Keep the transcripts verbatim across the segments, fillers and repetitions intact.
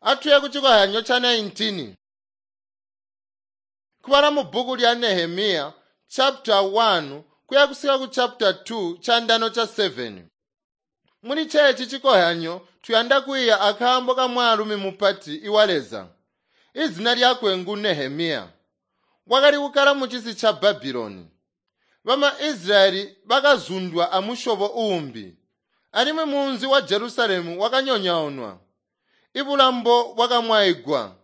Atuye kucikozyanyo ca nineteen. Kubala mubbuku lya Nehemiya chapter one kuya kusika ku chapter two chandano cha seven. Muli chechi cikozyanyo tuyanda kwiiya akaambo ka mwaalumi mupati iwa Leza. Izina lyakwe ngu Nehemiya. Wakali kukkala mucisi ca Babuloni. Bama Israyeli bakazundwa amusyobo uumbi, alimwi munzi wa Jerusalemu wakanyonyoonwa. Ibulambo bwakamwaigwa,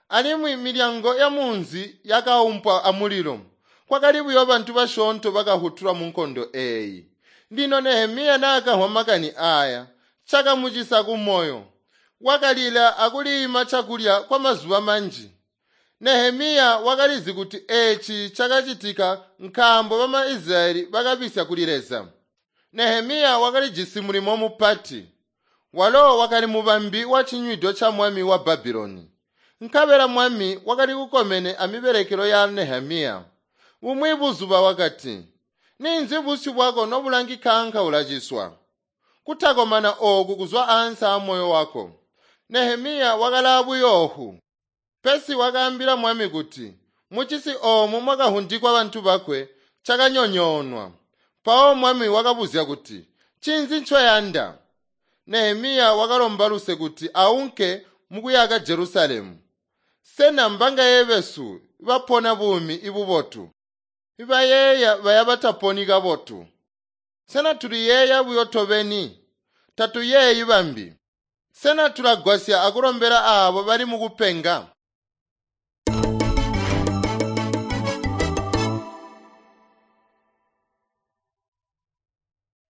alimwi milyango ya munzi yakaumpwa amulilo. Kwakali buyo bantu basyoonto bakahutulwa mu nkondo eeyi. Lino Nehemiya naakamvwa makani aaya, cakamucisa kumoyo. Wakalila akuliima cakulya kwamazuba manji. Nehemiya wakalizi kuti eeci cakacitika nkaambo bama Israyeli bakabisya kuli Leza. Nehemiya wakalijisi mulimo mupati. Walo wakali mubambi wacinywido ca mwami wa Babuloni. Nkabela mwami wakali kukomene amibelekelo ya Nehemiya. Bumwi buzuba wakati, "Ninzi busyu bwako nobulangikaanka ulaciswa? Kutakomana ooku kuzwa ansi aamoyo wako." Nehemiya wakalaa buyoofu. Pesi wakaambila mwami kuti, mucisi oomu mwakahundikwa bantu bakwe cakanyonyoonwa. Mpawo mwami wakabuzya kuti, "Ncinzi ncoyanda?" Nehemiya wakalomba luse kuti aunke mukuyaka Jerusalemu. Sena mbangaye besu bapona buumi ibubotu? Ibayeeya baya bataponi kabotu. Sena tuliyeeya buyo tobeni? Tatuyeeyi bambi. Sena tulagwasya akulombela aabo bali mukupenga?